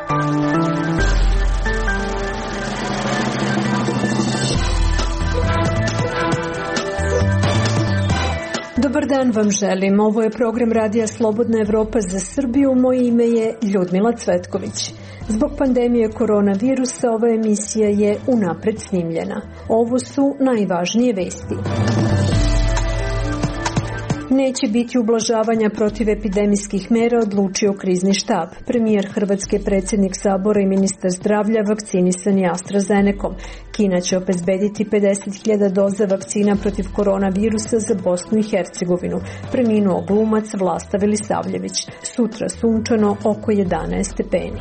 Dobar dan vam želim. Ovo je program Radija Slobodna Evropa za Srbiju. Moje ime je Ljudmila Cvetković. Zbog pandemije koronavirusa ova emisija je unapred snimljena. Ovo su najvažnije vesti. Neće biti ublažavanja protivepidemijskih mera, odlučio krizni štab. Premijer Hrvatske, predsjednik Sabora i ministar zdravlja vakcinisani AstraZenecom. Kina će obezbediti 50.000 doza vakcina protiv koronavirusa za Bosnu i Hercegovinu. Preminuo glumac Vlasta Velisavljević. Sutra sunčano, oko 11 stepeni.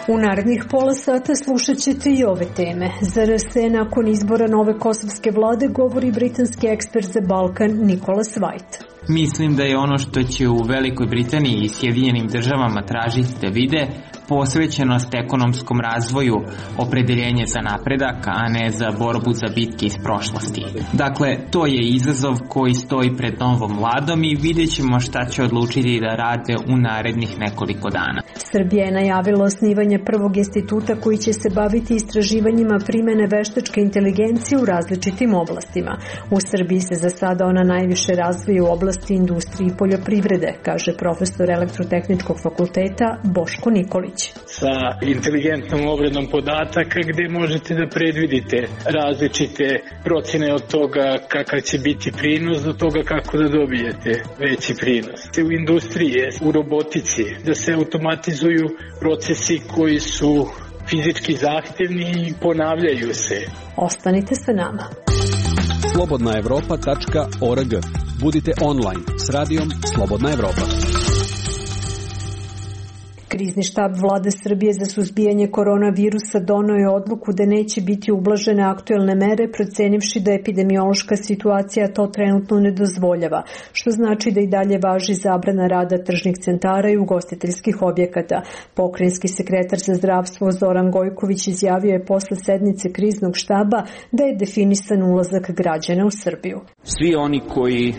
U narednih pola sata slušat ćete i ove teme. Zar se nakon izbora nove kosovske vlade, govori britanski ekspert za Balkan Nicholas White. Mislim da je ono što će u Velikoj Britaniji i Sjedinjenim državama tražiti da vide posvećenost ekonomskom razvoju, opredeljenje za napredak, a ne za borbu za bitke iz prošlosti. Dakle, to je izazov koji stoji pred novom vladom i vidjet ćemo šta će odlučiti da rade u narednih nekoliko dana. Srbija je najavila osnivanje prvog instituta koji će se baviti istraživanjima primene veštačke inteligencije u različitim oblastima. U Srbiji se za sada ona najviše razvija u oblasti industrije i poljoprivrede, kaže profesor Elektrotehničkog fakulteta Boško Nikolić. Sa inteligentnom obradom podataka gdje možete da predvidite različite procjene od toga kakav će biti prinos do toga kako da dobijete veći prinos. U industriji, u robotici, da se automatizuju procesi koji su fizički zahtevni i ponavljaju se. Ostanite sa nama. slobodnaevropa.org. Budite online s radijom Slobodna Evropa. Krizni štab vlade Srbije za suzbijanje koronavirusa doneo je odluku da neće biti ublažene aktuelne mere, procenivši da epidemiološka situacija to trenutno ne dozvoljava, što znači da i dalje važi zabrana rada tržnih centara i ugostiteljskih objekata. Pokrajinski sekretar za zdravstvo Zoran Gojković izjavio je posle sednice kriznog štaba da je definisan ulazak građana u Srbiju. Svi oni koji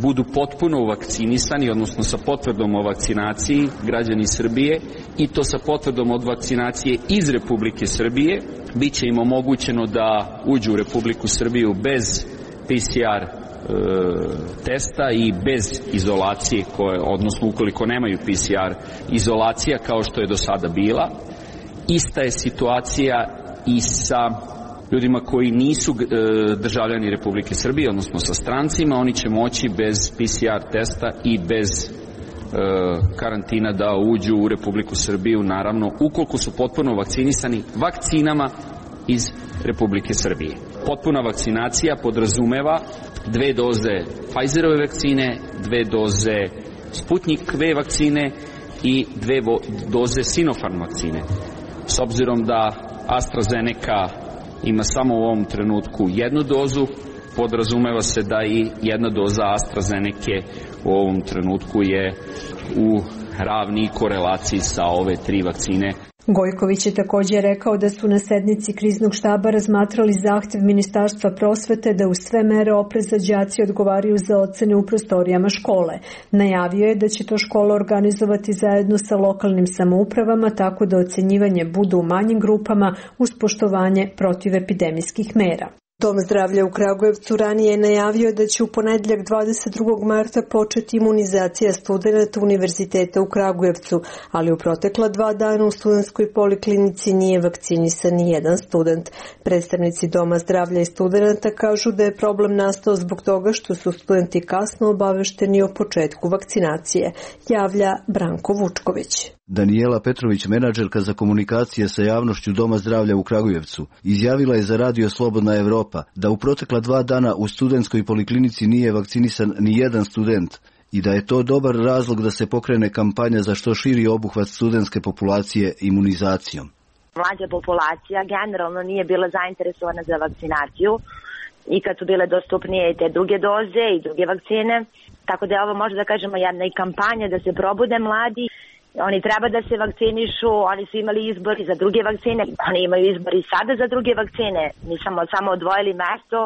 budu potpuno vakcinisani, odnosno sa potvrdom o vakcinaciji, građani Srbije, i to sa potvrdom od vakcinacije iz Republike Srbije, bit će im omogućeno da uđu u Republiku Srbiju bez PCR testa i bez izolacije, odnosno ukoliko nemaju PCR izolacija kao što je do sada bila. Ista je situacija i sa ljudima koji nisu državljani Republike Srbije, odnosno sa strancima. Oni će moći bez PCR testa i bez karantina da uđu u Republiku Srbiju, naravno ukoliko su potpuno vakcinisani vakcinama iz Republike Srbije. Potpuna vakcinacija podrazumeva 2 doze Pfizerove vakcine, 2 doze Sputnik V vakcine i 2 doze Sinopharm vakcine. S obzirom da AstraZeneca ima samo u ovom trenutku 1 dozu, podrazumeva se da i 1 doza AstraZeneke u ovom trenutku je u ravni korelaciji sa ove 3 vakcine. Gojković je također rekao da su na sednici kriznog štaba razmatrali zahtev Ministarstva prosvete da uz sve mere opreza đaci odgovaraju za ocene u prostorijama škole. Najavio je da će to škola organizovati zajedno sa lokalnim samoupravama tako da ocenjivanje bude u manjim grupama uz poštovanje protivepidemijskih mera. Dom zdravlja u Kragujevcu ranije je najavio da će u ponedjeljak 22. marta početi imunizacija studenata Univerziteta u Kragujevcu, ali u protekla 2 dana u studentskoj poliklinici nije vakcinisan ni jedan student. Predstavnici Doma zdravlja i studenata kažu da je problem nastao zbog toga što su studenti kasno obavešteni o početku vakcinacije, javlja Branko Vučković. Danijela Petrović, menadžerka za komunikacije sa javnošću Doma zdravlja u Kragujevcu, izjavila je za Radio Slobodna Evropa da u protekla 2 dana u studentskoj poliklinici nije vakcinisan ni jedan student i da je to dobar razlog da se pokrene kampanja za što širi obuhvat studentske populacije imunizacijom. Mlađa populacija generalno nije bila zainteresovana za vakcinaciju i kad su bile dostupnije i te druge doze i druge vakcine, tako da je ovo možda da kažemo jedna i kampanja da se probude mladi Oni treba da se vakcinišu, oni su imali izbor za druge vakcine, oni imaju izbor i sada za druge vakcine. Mi smo samo odvojili mesto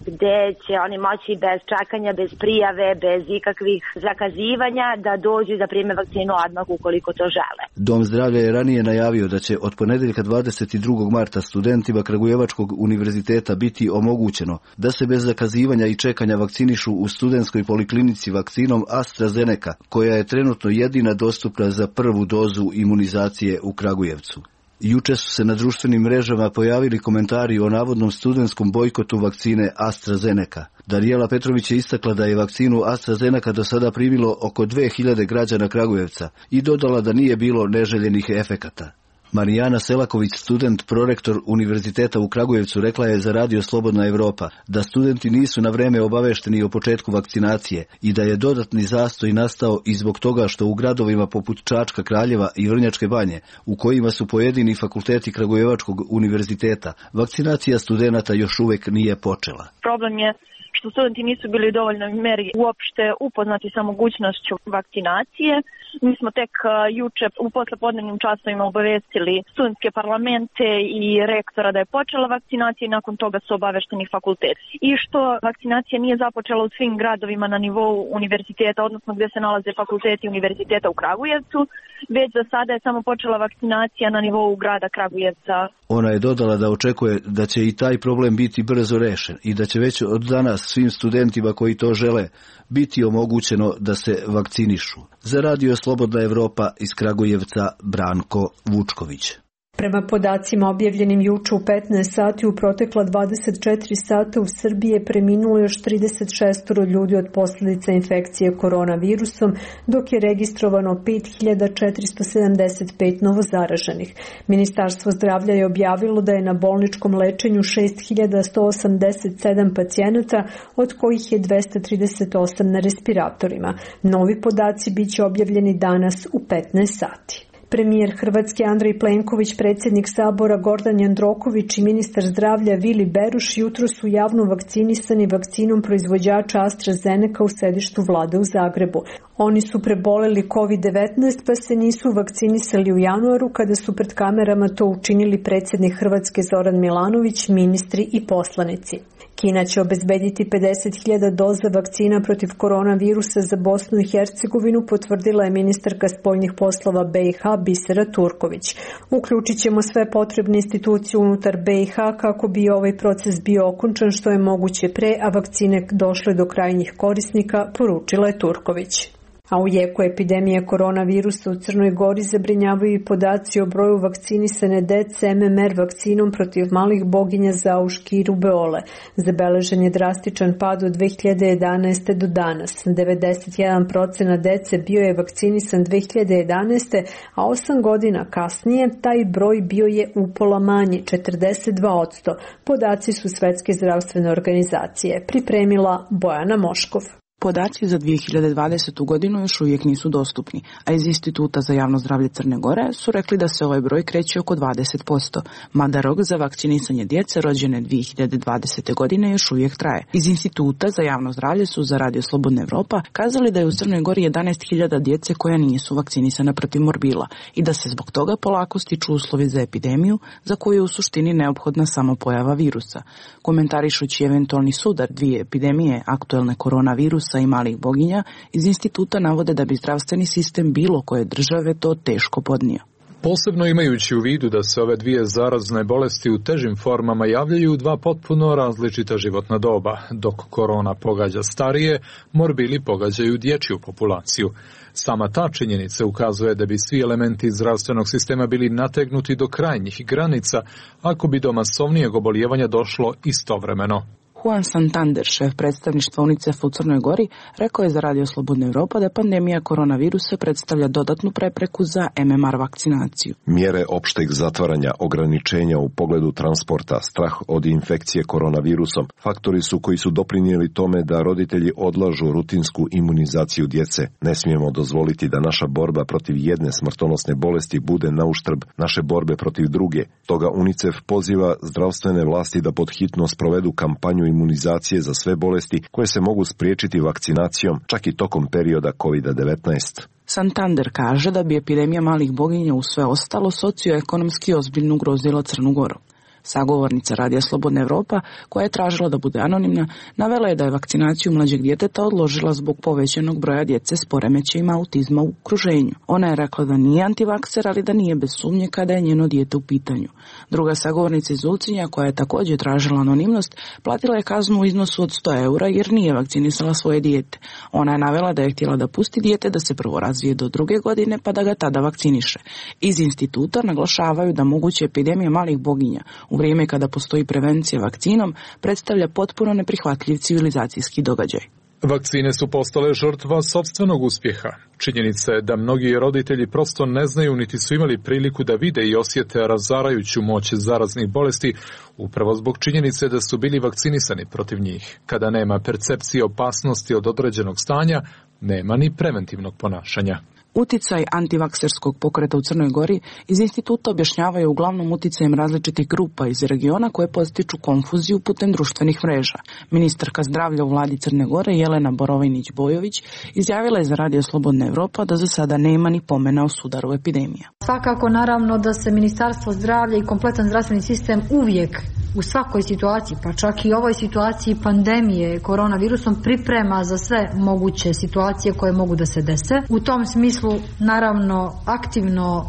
gde će oni moći bez čekanja, bez prijave, bez ikakvih zakazivanja da dođu da prime vakcinu odmah ukoliko to žele. Dom zdravlja je ranije najavio da će od ponedeljka 22. marta studentima Kragujevačkog univerziteta biti omogućeno da se bez zakazivanja i čekanja vakcinišu u studentskoj poliklinici vakcinom AstraZeneca, koja je trenutno jedina dostupna za prvu dozu imunizacije u Kragujevcu. Juče su se na društvenim mrežama pojavili komentari o navodnom studentskom bojkotu vakcine AstraZeneca. Danijela Petrović je istakla da je vakcinu AstraZeneca do sada primilo oko 2000 građana Kragujevca i dodala da nije bilo neželjenih efekata. Marijana Selaković, student prorektor Univerziteta u Kragujevcu, rekla je za Radio Slobodna Evropa da studenti nisu na vreme obavešteni o početku vakcinacije i da je dodatni zastoj nastao i zbog toga što u gradovima poput Čačka, Kraljeva i Vrnjačke Banje, u kojima su pojedini fakulteti Kragujevačkog univerziteta, vakcinacija studenata još uvek nije počela. Problem je što studenti nisu bili u dovoljnoj meri uopšte upoznati sa mogućnošću vakcinacije. Mi smo tek juče u poslepodnevnim časovima obavestili studentske parlamente i rektora da je počela vakcinacija i nakon toga su obavešteni fakulteti. I što vakcinacija nije započela u svim gradovima na nivou univerziteta, odnosno gdje se nalaze fakulteti univerziteta u Kragujevcu, već za sada je samo počela vakcinacija na nivou grada Kragujevca. Ona je dodala da očekuje da će i taj problem biti brzo rešen i da će već od danas svim studentima koji to žele biti omogućeno da se vakcinišu. Za Radio Slobodna Evropa iz Kragujevca Branko Vučković. Prema podacima objavljenim juče u 15 sati u protekla 24 sata u Srbiji je preminulo još 36 ljudi od posljedica infekcije koronavirusom, dok je registrovano 5475 novozaraženih. Ministarstvo zdravlja je objavilo da je na bolničkom lečenju 6187 pacijenata, od kojih je 238 na respiratorima. Novi podaci biće objavljeni danas u 15 sati. Premijer Hrvatske Andrej Plenković, predsjednik Sabora Gordan Jandroković i ministar zdravlja Vili Beruš jutro su javno vakcinisani vakcinom proizvođača AstraZeneca u sedištu vlade u Zagrebu. Oni su preboleli COVID-19 pa se nisu vakcinisali u januaru kada su pred kamerama to učinili predsjednik Hrvatske Zoran Milanović, ministri i poslanici. Kina će obezbediti 50.000 doza vakcina protiv koronavirusa za Bosnu i Hercegovinu, potvrdila je ministarka spoljnih poslova BiH Bisera Turković. Uključit ćemo sve potrebne institucije unutar BiH kako bi ovaj proces bio okončan što je moguće pre, a vakcine došle do krajnjih korisnika, poručila je Turković. A u jeku epidemije koronavirusa u Crnoj Gori zabrinjavaju i podaci o broju vakcinisane dece MMR vakcinom protiv malih boginja zauški i rubeole. Zabeležen je drastičan pad od 2011. do danas. 91% dece bio je vakcinisan 2011. a 8 godina kasnije taj broj bio je upola manji, 42%. Podaci su Svetske zdravstvene organizacije. Pripremila Bojana Moškov. Podaci za 2020. godinu još uvijek nisu dostupni, a iz Instituta za javno zdravlje Crne Gore su rekli da se ovaj broj kreće oko 20%, mada rok za vakcinisanje djece rođene 2020. godine još uvijek traje. Iz Instituta za javno zdravlje su za Radio Slobodna Evropa kazali da je u Crnoj Gori 11.000 djece koja nisu vakcinisana protiv morbila i da se zbog toga polako stiču uslovi za epidemiju za koju je u suštini neophodna samo pojava virusa. Komentarišući eventualni sudar dvije epidemije aktuelne koronavirusa i malih boginja, iz instituta navode da bi zdravstveni sistem bilo koje države to teško podnio. Posebno imajući u vidu da se ove dvije zarazne bolesti u težim formama javljaju u dva potpuno različita životna doba. Dok korona pogađa starije, morbili pogađaju dječju populaciju. Sama ta činjenica ukazuje da bi svi elementi zdravstvenog sistema bili nategnuti do krajnjih granica ako bi do masovnijeg obolijevanja došlo istovremeno. Juan Santander, šef predstavništva UNICEF-a u Crnoj Gori, rekao je za Radio Slobodna Evropa da pandemija koronavirusa predstavlja dodatnu prepreku za MMR vakcinaciju. Mjere opšteg zatvaranja, ograničenja u pogledu transporta, strah od infekcije koronavirusom, faktori su koji su doprinijeli tome da roditelji odlažu rutinsku imunizaciju djece. Ne smijemo dozvoliti da naša borba protiv jedne smrtonosne bolesti bude na uštrb naše borbe protiv druge. Toga UNICEF poziva zdravstvene vlasti da pod hitno sprovedu kampanju imunizacije za sve bolesti koje se mogu spriječiti vakcinacijom, čak i tokom perioda COVID-19. Santander kaže da bi epidemija malih boginja uz sve ostalo socioekonomski ozbiljno ugrozila Crnu Goru. Sagovornica Radija Slobodna Evropa, koja je tražila da bude anonimna, navela je da je vakcinaciju mlađeg djeteta odložila zbog povećanog broja djece s poremećajima autizma u okruženju. Ona je rekla da nije antivakser, ali da nije bez sumnje kada je njeno dijete u pitanju. Druga sagovornica iz Ulcinja, koja je također tražila anonimnost, platila je kaznu u iznosu od 100 eura jer nije vakcinisala svoje dijete. Ona je navela da je htjela da pusti dijete da se prvo razvije do 2. godine pa da ga tada vakciniše. Iz instituta naglašavaju da moguća epidemija malih boginja u vrijeme kada postoji prevencija vakcinom predstavlja potpuno neprihvatljiv civilizacijski događaj. Vakcine su postale žrtva sopstvenog uspjeha. Činjenica je da mnogi roditelji prosto ne znaju niti su imali priliku da vide i osjete razarajuću moć zaraznih bolesti upravo zbog činjenice da su bili vakcinisani protiv njih. Kada nema percepcije opasnosti od određenog stanja, nema ni preventivnog ponašanja. Uticaj antivakserskog pokreta u Crnoj Gori iz instituta objašnjavaju uglavnom uticajem različitih grupa iz regiona koje postiču konfuziju putem društvenih mreža. Ministarka zdravlja u vladi Crne Gore Jelena Borovinić-Bojović izjavila je za Radio Slobodna Evropa da za sada nema ni pomena o sudaru epidemija. Svakako naravno da se Ministarstvo zdravlja i kompletan zdravstveni sistem uvijek u svakoj situaciji, pa čak i ovoj situaciji pandemije koronavirusom priprema za sve moguće situacije koje mogu da se dese. U tom smislu naravno aktivno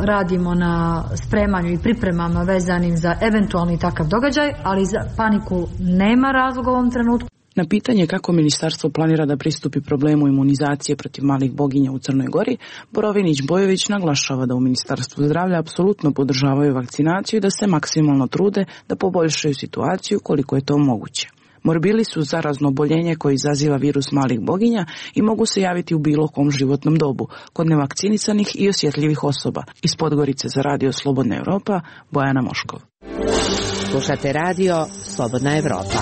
radimo na spremanju i pripremama vezanim za eventualni takav događaj, ali za paniku nema razloga u ovom trenutku. Na pitanje kako ministarstvo planira da pristupi problemu imunizacije protiv malih boginja u Crnoj Gori, Borovinić-Bojović naglašava da u Ministarstvu zdravlja apsolutno podržavaju vakcinaciju i da se maksimalno trude da poboljšaju situaciju koliko je to moguće. Morbili su zarazno oboljenje koje izaziva virus malih boginja i mogu se javiti u bilo kom životnom dobu, kod nevakcinisanih i osjetljivih osoba. Iz Podgorice za Radio Slobodna Evropa, Bojana Moškov. Slušate Radio Slobodna Evropa.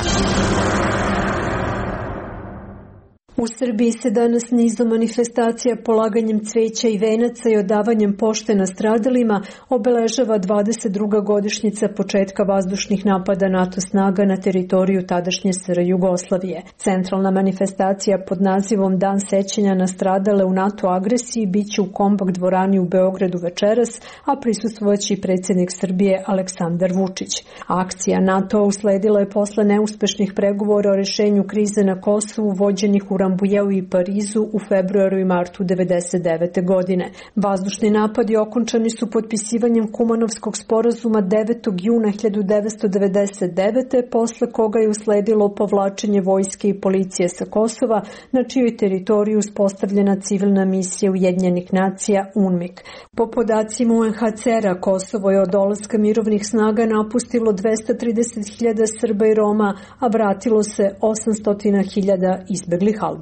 U Srbiji se danas nizom manifestacija, polaganjem cveća i venaca i odavanjem pošte nastradalima obeležava 22. godišnjica početka vazdušnih napada NATO snaga na teritoriju tadašnje SR Jugoslavije. Centralna manifestacija pod nazivom Dan sećanja na stradale u NATO agresiji biće u Kombak dvorani u Beogradu večeras, a prisustvovaće i predsjednik Srbije Aleksandar Vučić. Akcija NATO usledila je posle neuspešnih pregovora o rešenju krize na Kosovu vođenih u Rambujeu i Parizu u februaru i martu 1999. godine. Vazdušni napadi okončani su potpisivanjem Kumanovskog sporazuma 9. juna 1999. posle koga je usledilo povlačenje vojske i policije sa Kosova, na čijoj teritoriji uspostavljena civilna misija Ujedinjenih nacija UNMIK. Po podacima UNHCR-a, Kosovo je od dolaska mirovnih snaga napustilo 230.000 Srba i Roma, a vratilo se 800.000 izbeglih Albanaca.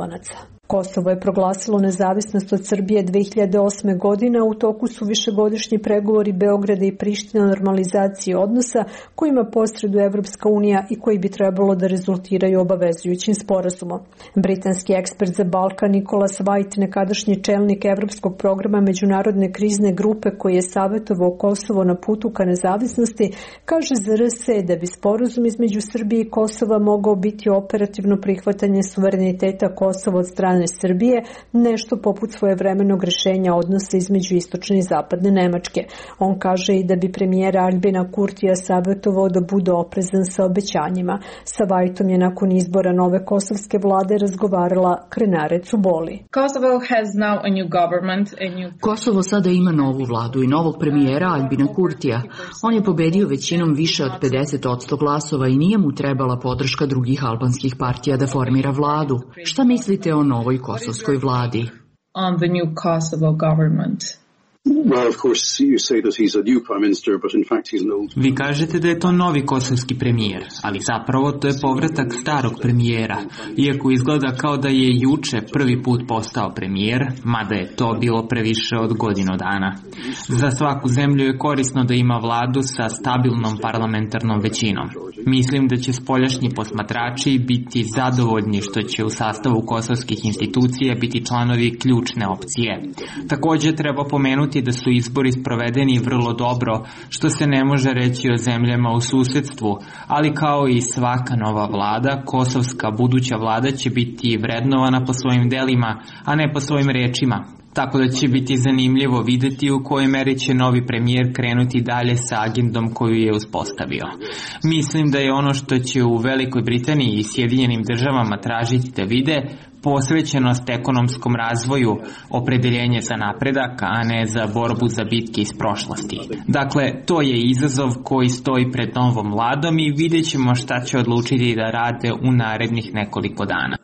Kosovo je proglasilo nezavisnost od Srbije 2008. godine, a u toku su višegodišnji pregovori Beograda i Prištine o normalizaciji odnosa kojima posreduje Evropska unija i koji bi trebalo da rezultiraju obavezujućim sporazumom. Britanski ekspert za Balkan Nicholas White, nekadašnji čelnik Evropskog programa Međunarodne krizne grupe koji je savjetovao Kosovo na putu ka nezavisnosti, kaže za RS da bi sporazum između Srbije i Kosova mogao biti operativno prihvatanje suvereniteta Kosova od strane Srbije, nešto poput svojevremenog rješenja odnosa između istočne i zapadne Nemačke. On kaže i da bi premijera Albina Kurtija savjetovao da bude oprezan sa obećanjima. Sa Vajtom je nakon izbora nove kosovske vlade razgovarala Krenare Cuboli. Kosovo sada ima novu vladu i novog premijera Albina Kurtija. On je pobedio većinom više od 50% glasova i nije mu trebala podrška drugih albanskih partija da formira vladu. Šta mislite o novoj kosovskoj vladi? On the new Kosovo government. Vi kažete da je to novi kosovski premijer, ali zapravo to je povratak starog premijera, iako izgleda kao da je juče prvi put postao premijer, mada je to bilo previše od godinu dana. Za svaku zemlju je korisno da ima vladu sa stabilnom parlamentarnom većinom. Mislim da će spoljašnji posmatrači biti zadovoljni što će u sastavu kosovskih institucija biti članovi ključne opcije. Također treba pomenuti napomenuti da su izbori sprovedeni vrlo dobro, što se ne može reći o zemljama u susedstvu, ali kao i svaka nova vlada, kosovska buduća vlada će biti vrednovana po svojim delima, a ne po svojim rečima. Tako da će biti zanimljivo videti u kojoj meri će novi premijer krenuti dalje sa agendom koju je uspostavio. Mislim da je ono što će u Velikoj Britaniji i Sjedinjenim državama tražiti da vide posvećenost ekonomskom razvoju, opredeljenje za napredak, a ne za borbu za bitke iz prošlosti. Dakle, to je izazov koji stoji pred novom vladom i vidjet ćemo šta će odlučiti da rade u narednih nekoliko dana.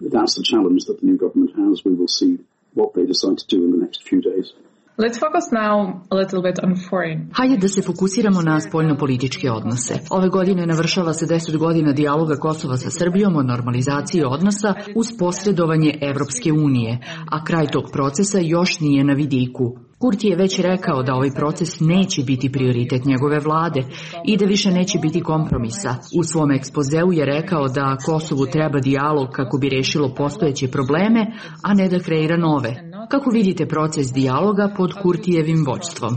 Let's focus now a little bit on foreign. Hajde da se fokusiramo na spoljnopolitičke odnose. Ove godine navršava se 10 godina dijaloga Kosova sa Srbijom o normalizaciji odnosa uz posredovanje Evropske unije, a kraj tog procesa još nije na vidiku. Kurti je već rekao da ovaj proces neće biti prioritet njegove vlade i da više neće biti kompromisa. U svom ekspozeu je rekao da Kosovu treba dijalog kako bi rešilo postojeće probleme, a ne da kreira nove. Kako vidite proces dijaloga pod Kurtijevim vođstvom?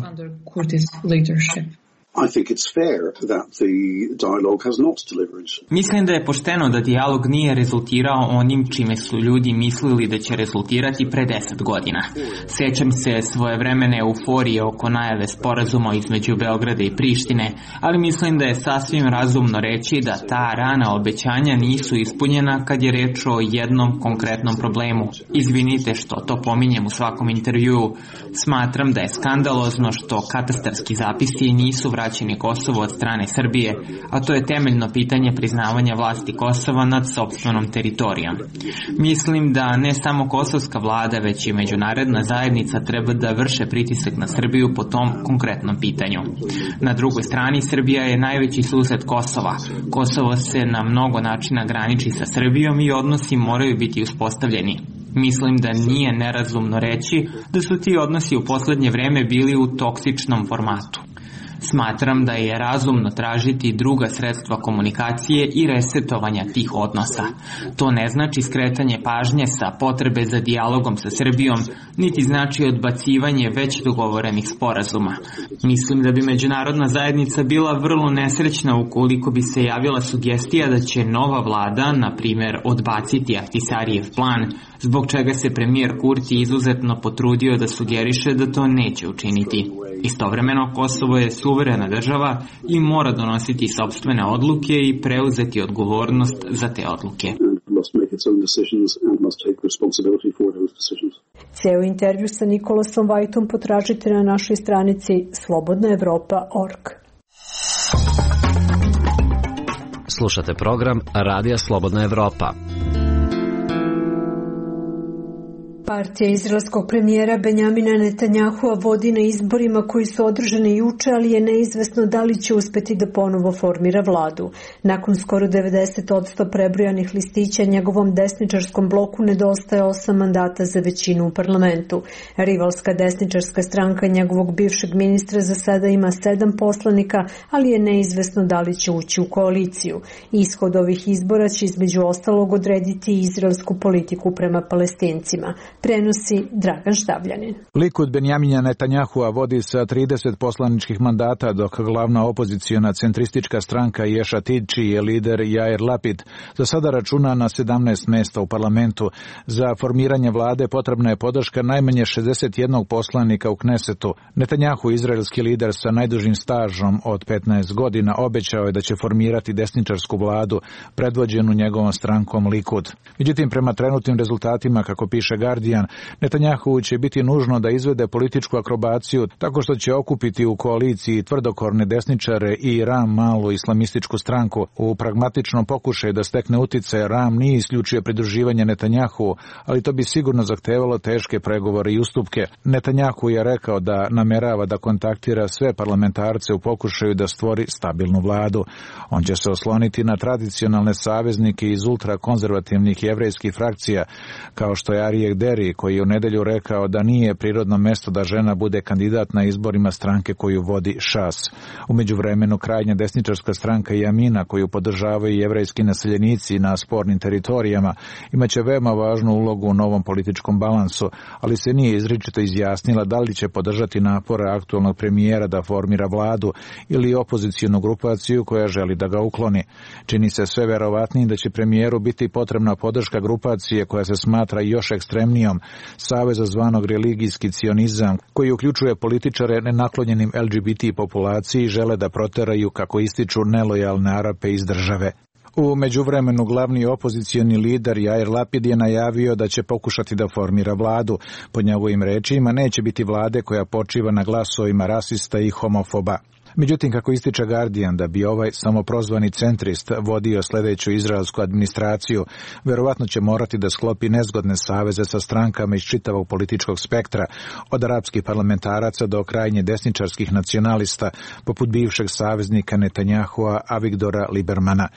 Mislim da je pošteno da dijalog nije rezultirao onim čime su ljudi mislili da će rezultirati pre 10 godina. Sećam se svojevremene euforije oko najave sporazuma između Beograda i Prištine, ali mislim da je sasvim razumno reći da ta rana obećanja nisu ispunjena kad je reč o jednom konkretnom problemu. Izvinite što to pominjem u svakom intervjuu. Smatram da je skandalozno što katastarski zapisi nisu vraćeni Kosovo od strane Srbije, a to je temeljno pitanje priznavanja vlasti Kosova nad sopstvenom teritorijom. Mislim da ne samo kosovska vlada, već i međunarodna zajednica treba da vrše pritisak na Srbiju po tom konkretnom pitanju. Na drugoj strani, Srbija je najveći sused Kosova. Kosovo se na mnogo načina graniči sa Srbijom i odnosi moraju biti uspostavljeni. Mislim da nije nerazumno reći da su ti odnosi u poslednje vreme bili u toksičnom formatu. Smatram da je razumno tražiti druga sredstva komunikacije i resetovanja tih odnosa. To ne znači skretanje pažnje sa potrebe za dijalogom sa Srbijom, niti znači odbacivanje već dogovorenih sporazuma. Mislim da bi međunarodna zajednica bila vrlo nesrećna ukoliko bi se javila sugestija da će nova vlada, na primjer, odbaciti Ahtisarijev plan, zbog čega se premijer Kurti izuzetno potrudio da sugeriše da to neće učiniti. Istovremeno, Kosovo je suverena država i mora donositi sopstvene odluke i preuzeti odgovornost za te odluke. Ceo intervju sa Nikolasom Vajtom potražite na našoj stranici slobodnaevropa.org. Slušate program Radija Slobodna Evropa. Partija izraelskog premijera Benjamina Netanjahua vodi na izborima koji su održani juče, ali je neizvesno da li će uspeti da ponovo formira vladu. Nakon skoro 90% prebrojanih listića, njegovom desničarskom bloku nedostaje 8 mandata za većinu u parlamentu. Rivalska desničarska stranka njegovog bivšeg ministra za sada ima 7 poslanika, ali je neizvesno da li će ući u koaliciju. Ishod ovih izbora će između ostalog odrediti izraelsku politiku prema Palestincima. Prenosi Dragan Štavljanin. Likud Benjamina Netanjahua vodi sa 30 poslaničkih mandata, dok glavna opoziciona centristička stranka Yesh Atid, čiji je lider Yair Lapid, za sada računa na 17 mesta u parlamentu. Za formiranje vlade potrebna je podrška najmanje 61 poslanika u Knesetu. Netanjahu, izraelski lider sa najdužim stažom od 15 godina, obećao je da će formirati desničarsku vladu, predvođenu njegovom strankom Likud. Međutim, prema trenutnim rezultatima, kako piše Guardian, Netanjahu će biti nužno da izvede političku akrobaciju tako što će okupiti u koaliciji tvrdokorne desničare i Ram, malu islamističku stranku. U pragmatičnom pokušaju da stekne utice, Ram nije isključio pridruživanje Netanjahu, ali to bi sigurno zahtevalo teške pregovore i ustupke. Netanjahu je rekao da namerava da kontaktira sve parlamentarce u pokušaju da stvori stabilnu vladu. On će se osloniti na tradicionalne saveznike iz ultrakonzervativnih jevrejskih frakcija, kao što je Aryeh Deri, Berry, koji je u nedelju rekao da nije prirodno mesto da žena bude kandidat na izborima stranke koju vodi Šas. U međuvremenu krajnja desničarska stranka Jamina, koju podržavaju jevrejski naseljenici na spornim teritorijama, imaće veoma važnu ulogu u novom političkom balansu, ali se nije izričito izjasnila da li će podržati napore aktualnog premijera da formira vladu ili opozicijnu grupaciju koja želi da ga ukloni. Čini se sve verovatnijim da će premijeru biti potrebna podrška grupacije koja se smatra još ekstremnijom, saveza zvanog religijski cionizam, koji uključuje političare nenaklonjenim LGBT populaciji i žele da proteraju, kako ističu, nelojalne Arape iz države. U međuvremenu glavni opozicioni lider Jair Lapid je najavio da će pokušati da formira vladu. Po njegovim rečima neće biti vlade koja počiva na glasovima rasista i homofoba. Međutim, kako ističe Guardian, da bi ovaj samoprozvani centrist vodio sljedeću izraelsku administraciju, verovatno će morati da sklopi nezgodne saveze sa strankama iz čitavog političkog spektra, od arapskih parlamentaraca do krajnje desničarskih nacionalista, poput bivšeg saveznika Netanjahua Avigdora Libermana.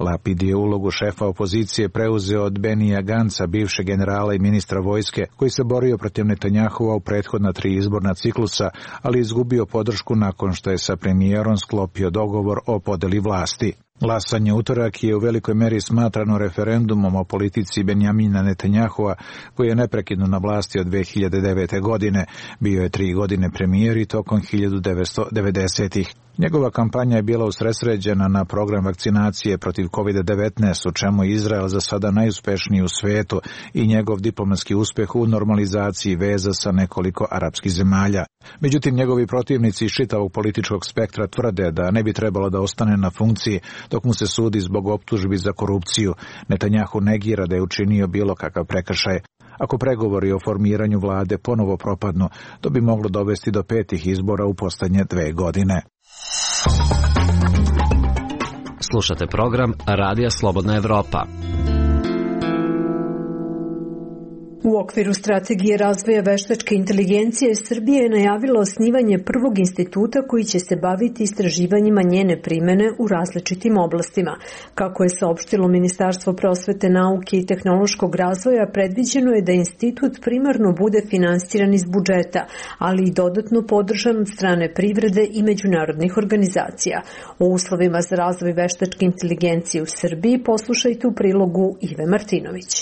Lapid je ulogu šefa opozicije preuzeo od Benija Ganca, bivšeg generala i ministra vojske, koji se borio protiv Netanjahua u prethodna 3 izborna ciklusa, ali izgubio podršku nakon što je sa premijerom sklopio dogovor o podeli vlasti. Glasanje utorak je u velikoj meri smatrano referendumom o politici Benjamina Netanjahua, koji je neprekidno na vlasti od 2009. godine. Bio je 3 godine premijer i tokom 1990-ih. Njegova kampanja je bila usredsređena na program vakcinacije protiv COVID-19, u čemu je Izrael za sada najuspešniji u svetu, i njegov diplomatski uspeh u normalizaciji veza sa nekoliko arapskih zemalja. Međutim, njegovi protivnici iz čitavog političkog spektra tvrde da ne bi trebalo da ostane na funkciji dok mu se sudi zbog optužbi za korupciju. Netanjahu negira da je učinio bilo kakav prekršaj. Ako pregovori o formiranju vlade ponovo propadnu, to bi moglo dovesti do 5. izbora u posljednje 2 godine. Slušate program Radija Slobodna Evropa. U okviru strategije razvoja veštačke inteligencije Srbija je najavila osnivanje prvog instituta koji će se baviti istraživanjima njene primene u različitim oblastima. Kako je saopštilo Ministarstvo prosvete, nauke i tehnološkog razvoja, predviđeno je da institut primarno bude finansiran iz budžeta, ali i dodatno podržan od strane privrede i međunarodnih organizacija. O uslovima za razvoj veštačke inteligencije u Srbiji poslušajte u prilogu Ive Martinović.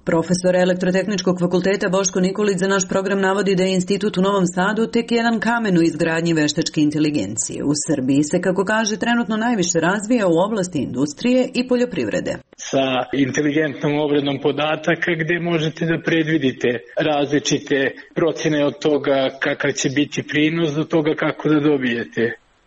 Profesor Elektrotehničkog fakulteta Boško Nikolić za naš program navodi da je institut u Novom Sadu tek jedan kamen u izgradnji veštačke inteligencije. U Srbiji se, kako kaže, trenutno najviše razvija u oblasti industrije i poljoprivrede. Sa inteligentnom obradom podataka gde možete da predvidite različite procjene od toga kakav će biti prinos do toga kako da dobijete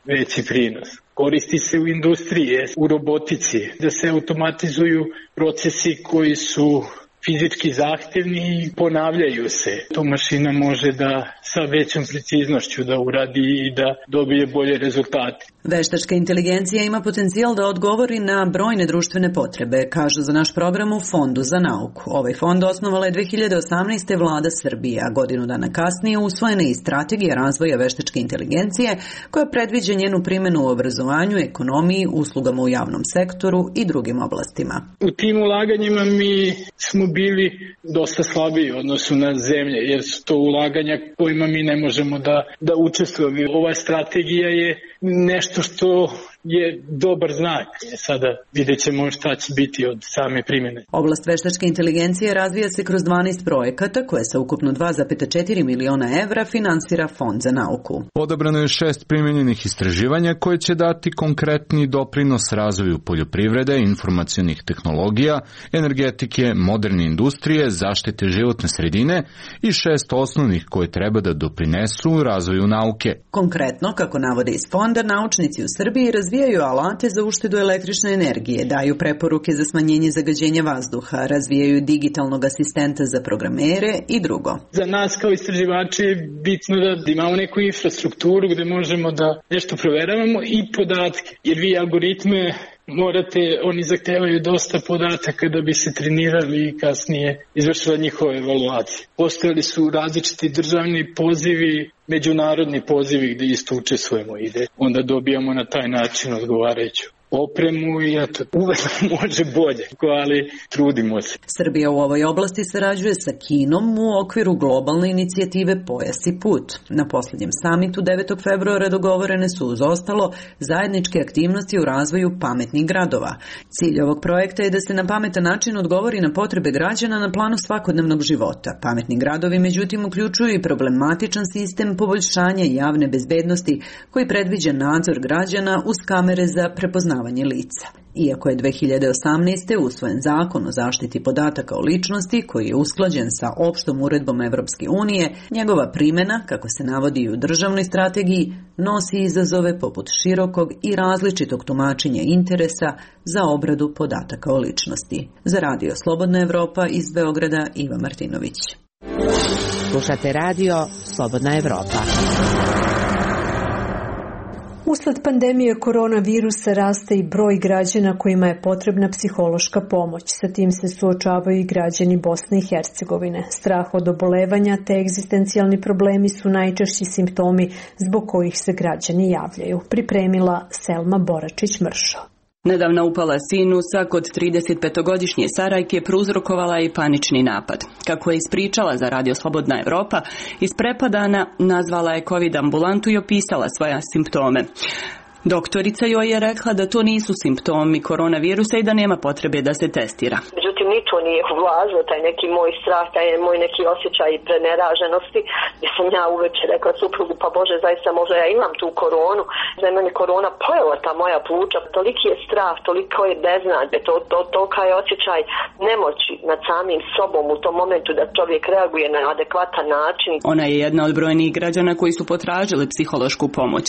veći prinos. Koristi se u industriji, u robotici, da se automatizuju procesi koji su fizički zahtevni i ponavljaju se. To mašina može da sa većom preciznošću da uradi i da dobije bolje rezultate. Veštačka inteligencija ima potencijal da odgovori na brojne društvene potrebe, kažu za naš program u Fondu za nauku. Ovaj fond osnovala je 2018. vlada Srbije, a godinu dana kasnije usvojena je i strategija razvoja veštačke inteligencije koja predviđa njenu primjenu u obrazovanju, ekonomiji, uslugama u javnom sektoru i drugim oblastima. U tim ulaganjima mi smo bili dosta slabiji u odnosu na zemlje, jer su to ulaganja kojima mi ne možemo da učestvujemo. Ova strategija je nešto što je dobar znak. Sada vidjet ćemo šta će biti od same primjene. Oblast veštačke inteligencije razvija se kroz 12 projekata koje sa ukupno 2,4 miliona evra finansira Fond za nauku. Odabrano je 6 primjenjenih istraživanja koje će dati konkretni doprinos razvoju poljoprivrede, informacionih tehnologija, energetike, moderne industrije, zaštite životne sredine i 6 osnovnih koje treba da doprinesu razvoju nauke. Konkretno, kako navode iz fonda, naučnici u Srbiji razvijaju alate za uštedu električne energije, daju preporuke za smanjenje zagađenja vazduha, razvijaju digitalnog asistenta za programere i drugo. Za nas kao istraživači je bitno da imamo neku infrastrukturu gde možemo da nešto proveravamo i podatke, jer vi algoritme oni zahtevaju dosta podataka da bi se trenirali i kasnije izvršila njihove evaluacije. Postojali su različiti državni pozivi, međunarodni pozivi gde isto učestvujemo i onda dobijamo na taj način odgovarajuću opremu i eto, uvek može bolje, ali trudimo se. Srbija u ovoj oblasti sarađuje sa Kinom u okviru globalne inicijative Pojas i put. Na posljednjem samitu 9. februara dogovorene su uz ostalo zajedničke aktivnosti u razvoju pametnih gradova. Cilj ovog projekta je da se na pametan način odgovori na potrebe građana na planu svakodnevnog života. Pametni gradovi međutim uključuju i problematičan sistem poboljšanja javne bezbednosti koji predviđa nadzor građana uz kamere za prepoznavanje lica. Iako je 2018. usvojen zakon o zaštiti podataka o ličnosti koji je usklađen sa opštom uredbom Evropske unije, njegova primjena, kako se navodi i u državnoj strategiji, nosi izazove poput širokog i različitog tumačenja interesa za obradu podataka o ličnosti. Za Radio Slobodna Evropa iz Beograda, Iva Martinović. Slušate Radio Slobodna Evropa. Usled pandemije koronavirusa raste i broj građana kojima je potrebna psihološka pomoć. Sa tim se suočavaju i građani Bosne i Hercegovine. Strah od obolevanja te egzistencijalni problemi su najčešći simptomi zbog kojih se građani javljaju. Pripremila Selma Boračić-Mršo. Nedavna upala sinusa kod 35-godišnje Sarajke prouzrokovala je i panični napad. Kako je ispričala za Radio Slobodna Evropa, isprepadana nazvala je COVID ambulantu i opisala svoje simptome. Doktorica joj je rekla da to nisu simptomi koronavirusa i da nema potrebe da se testira. Međutim, ni to nije ublažio taj neki moj strah, taj moj neki osjećaj preneraženosti, gdje sam ja uveče rekla suprugu, pa Bože, zaista možda ja imam tu koronu, da je meni korona pojela ta moja pluća. Toliki je strah, toliko je beznade, tolika je osjećaj nemoći nad samim sobom u tom momentu da čovjek reaguje na adekvatan način. Ona je jedna od brojnih građana koji su potražili psihološku pomoć.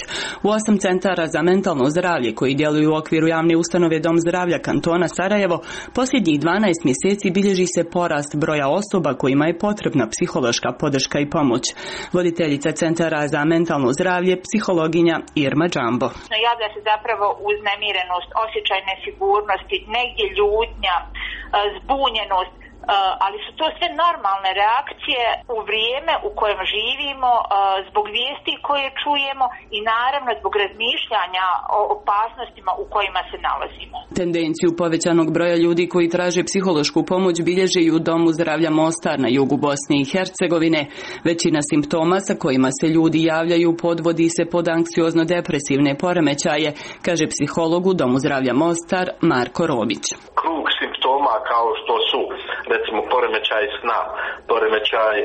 U 8 centara za mentalno zdravlje koji djeluju u okviru javne ustanove Dom zdravlja kantona Sarajevo, posljednjih 12 mjeseci bilježi se porast broja osoba kojima je potrebna psihološka podrška i pomoć. Voditeljica Centara za mentalno zdravlje, psihologinja Irma Džambo. Javlja se zapravo uznemirenost, osjećaj nesigurnosti, negdje ljutnja, zbunjenost, ali su to sve normalne reakcije u vrijeme u kojem živimo, zbog vijesti koje čujemo i naravno zbog razmišljanja o opasnostima u kojima se nalazimo. Tendenciju povećanog broja ljudi koji traže psihološku pomoć bilježe i u Domu zdravlja Mostar na jugu Bosne i Hercegovine. Većina simptoma sa kojima se ljudi javljaju podvodi se pod anksiozno-depresivne poremećaje, kaže psiholog u Domu zdravlja Mostar Marko Robić. Krug simptoma kao što su recimo poremećaj sna, poremećaj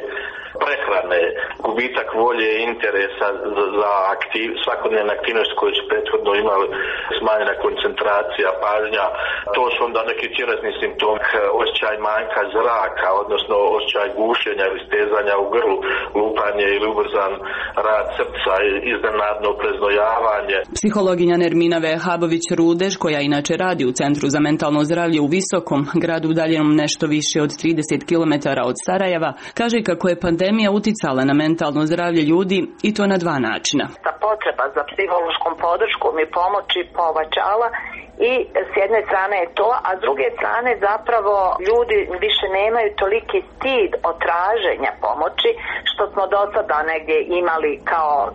prehrane, gubitak volje i interesa za svakodnevne aktivnosti koje su prethodno imali, smanjena koncentracija, pažnja, to su onda neki tjelesni simptomi, osjećaj manjka zraka, odnosno osjećaj gušenja ili stezanja u grlu, lupanje ili ubrzan rad srca, iznenadno preznojavanje. Psihologinja Nermina Vehabović-Rudež, koja inače radi u Centru za mentalno zdravlje u Visokom, gradu udaljenom nešto više od 30 km od Sarajeva, kaže kako je pandemija uticala na mentalno zdravlje ljudi i to na dva načina. Ta potreba za psihološkom podrškom i pomoći povećala i s jedne strane je to, a s druge strane zapravo ljudi više nemaju toliki stid od traženja pomoći što smo do sada negdje imali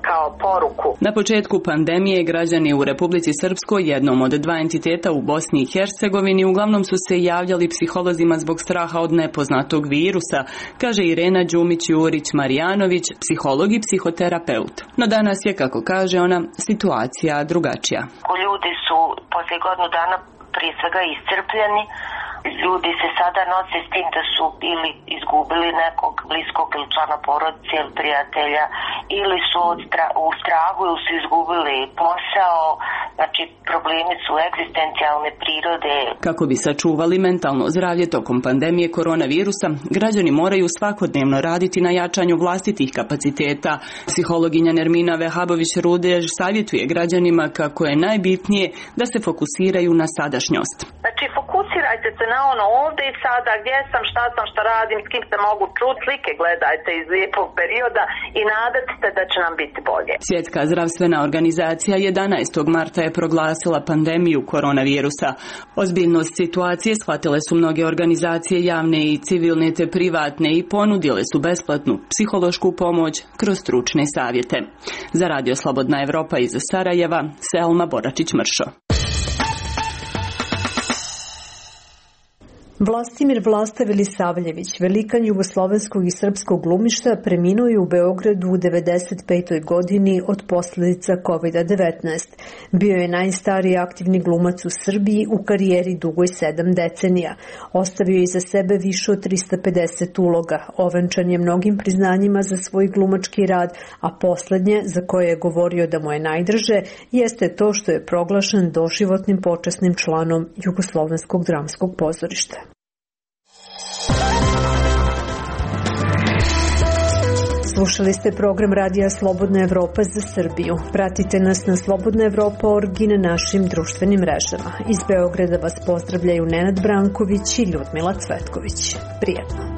kao poruku. Na početku pandemije građani u Republici Srpskoj, jednom od dva entiteta u Bosni i Hercegovini, uglavnom su se javljali psiholozima zbog straha od nepoznatog virusa, kaže Irena Đumić-Jurić-Marijanović, psiholog i psihoterapeut. No danas je, kako kaže ona, situacija drugačija. Ljudi su poslije godinu dana prije svega iscrpljeni. Ljudi se sada nose s tim da su ili izgubili nekog bliskog ili člana porodice ili prijatelja, ili su u strahu ili su izgubili posao. Znači, problemi su egzistencijalne prirode. Kako bi sačuvali mentalno zdravlje tokom pandemije koronavirusa, građani moraju svakodnevno raditi na jačanju vlastitih kapaciteta. Psihologinja Nermina Vehabović-Rudež savjetuje građanima kako je najbitnije da se fokusiraju na sadašnjost. Znači, fokusirajte se na ono ovdje i sada, gdje sam, šta radim, s kim se mogu čuti, slike gledajte iz lijepog perioda i nadate se da će nam biti bolje. Svjetska zdravstvena organizacija 11. marta je proglasila pandemiju koronavirusa. Ozbiljnost situacije shvatile su mnoge organizacije javne i civilne te privatne i ponudile su besplatnu psihološku pomoć kroz stručne savjete. Za Radio Slobodna Evropa iz Sarajeva, Selma Boračić-Mršo. Vlastimir Vlasta Vilisavljević, velikan jugoslovenskog i srpskog glumišta, preminuo je u Beogradu u 95. godini od posljedica COVID-19. Bio je najstariji aktivni glumac u Srbiji u karijeri dugoj 7 decenija. Ostavio je iza sebe više od 350 uloga. Ovenčan je mnogim priznanjima za svoj glumački rad, a poslednje, za koje je govorio da mu je najdraže, jeste to što je proglašen doživotnim počasnim članom Jugoslovenskog dramskog pozorišta. Slušali ste program Radija Slobodna Evropa za Srbiju. Pratite nas na slobodnaevropa.org i na našim društvenim mrežama. Iz Beograda vas pozdravljaju Nenad Branković i Ljudmila Cvetković. Prijetno.